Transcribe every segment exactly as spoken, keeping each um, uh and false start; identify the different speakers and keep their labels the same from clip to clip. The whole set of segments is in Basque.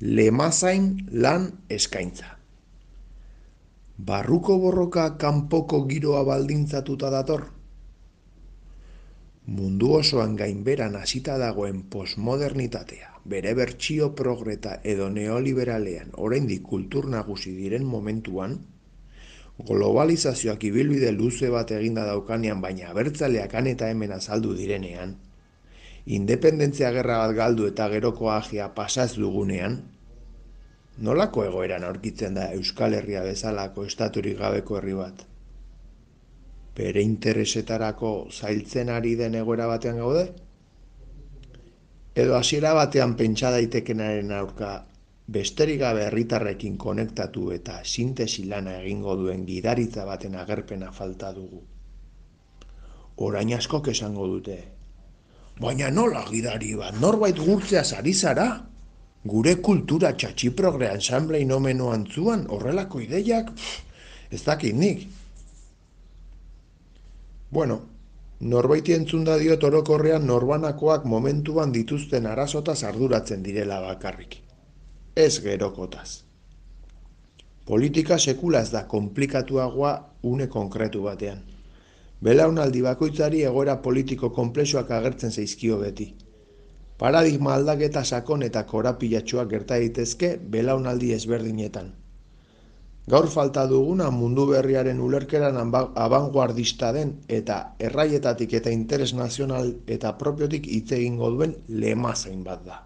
Speaker 1: lemazain lan eskaintza. Barruko borroka kanpoko giroa baldintzatuta dator? Mundu osoan gainberan hasita dagoen postmodernitatea, bere bertsio progreta edo neoliberalean oraindik kultur nagusi diren momentuan, globalizazioak ibilbide luze bat eginda daukanean baina abertzaleak han eta hemen azaldu direnean, independentzia gerra bat galdu eta geroko agia pasaz dugunean, nolako egoeran aurkitzen da Euskal Herria bezalako estaturik gabeko herri bat? Bere interesetarako zailtzen ari den egoera batean gaude? Edo hasiera batean pentsa daitekenaren aurka besterik gabe herritarrekin konektatu eta sintesi lana egingo duen gidaritza baten agerpena falta dugu. Orain askok esango dute, baina nola gidari bat, norbait gurtzeaz ari zara? Gure kultura txatxiprogre ensamble inomeno antzuan horrelako ideiak, ez dakit nik. Bueno, norbaiti entzunda diot orokorrean norbanakoak momentuan dituzten arazotaz arduratzen direla bakarrik. Ez gerokotaz. Politika sekula ez da konplikatuagoa une konkretu batean. Belaunaldi bakoitzari egoera politiko konplexuak agertzen zaizkio beti. Paradigma aldaketa sakon eta korapilatsuak gerta daitezke belaunaldi ezberdinetan. Gaur falta duguna mundu berriaren ulerkeran abanguardista den eta erraietatik eta interes nazional eta propiotik hitz egingo duen lemazain bat da.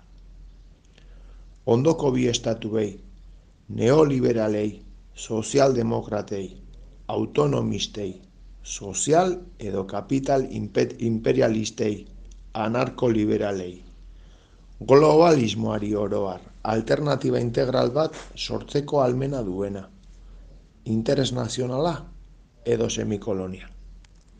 Speaker 1: Ondoko bi estatuei, neoliberalei, sozialdemokratei, autonomistei, sozial edo kapital imperialistei, anarkoliberalei, globalismoari oroar, alternatiba integral bat sortzeko almena duena. Interes nazionala edo semikolonia.